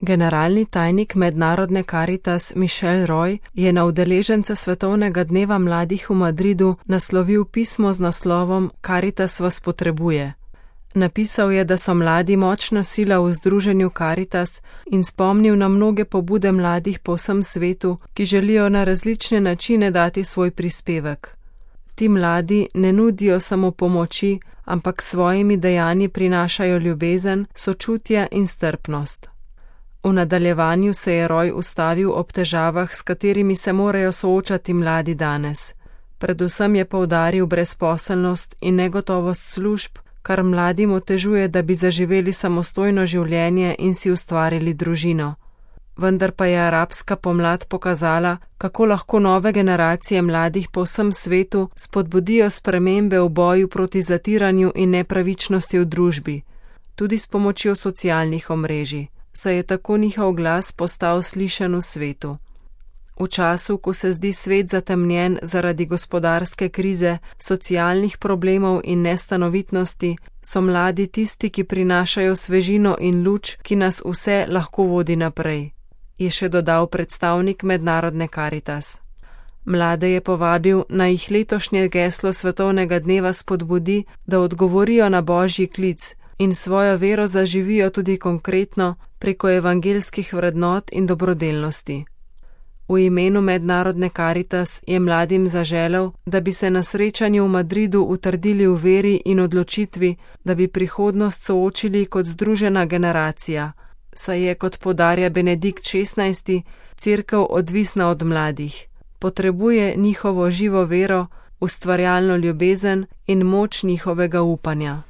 Generalni tajnik mednarodne Caritas Michel Roy je na udeležence Svetovnega dneva mladih v Madridu naslovil pismo z naslovom Caritas vas potrebuje. Napisal je, da so mladi močna sila v združenju Caritas in spomnil na mnoge pobude mladih po vsem svetu, ki želijo na različne načine dati svoj prispevek. Ti mladi ne nudijo samo pomoči, ampak svojimi dejanji prinašajo ljubezen, sočutje in strpnost. V nadaljevanju se je Roy ustavil ob težavah, s katerimi se morajo soočati mladi danes. Predvsem je poudaril brezposelnost in negotovost služb, kar mladim otežuje, da bi zaživeli samostojno življenje in si ustvarili družino. Vendar pa je arabska pomlad pokazala, kako lahko nove generacije mladih po vsem svetu spodbudijo spremembe v boju proti zatiranju in nepravičnosti v družbi, tudi s pomočjo socialnih omrežij, saj je tako njihov glas postal slišan v svetu. V času, ko se zdi svet zatemnjen zaradi gospodarske krize, socialnih problemov in nestanovitnosti, so mladi tisti, ki prinašajo svežino in luč, ki nas vse lahko vodi naprej, je še dodal predstavnik mednarodne Caritas. Mlade je povabil, naj jih letošnje geslo Svetovnega dneva spodbudi, da odgovorijo na Božji klic in svojo vero zaživijo tudi konkretno preko evangeljskih vrednot in dobrodelnosti. V imenu mednarodne Caritas je mladim zaželel, da bi se na srečanju v Madridu utrdili v veri in odločitvi, da bi prihodnost soočili kot združena generacija, saj je, kot poudarja Benedikt XVI, Cerkev odvisna od mladih. Potrebuje njihovo živo vero, ustvarjalno ljubezen in moč njihovega upanja.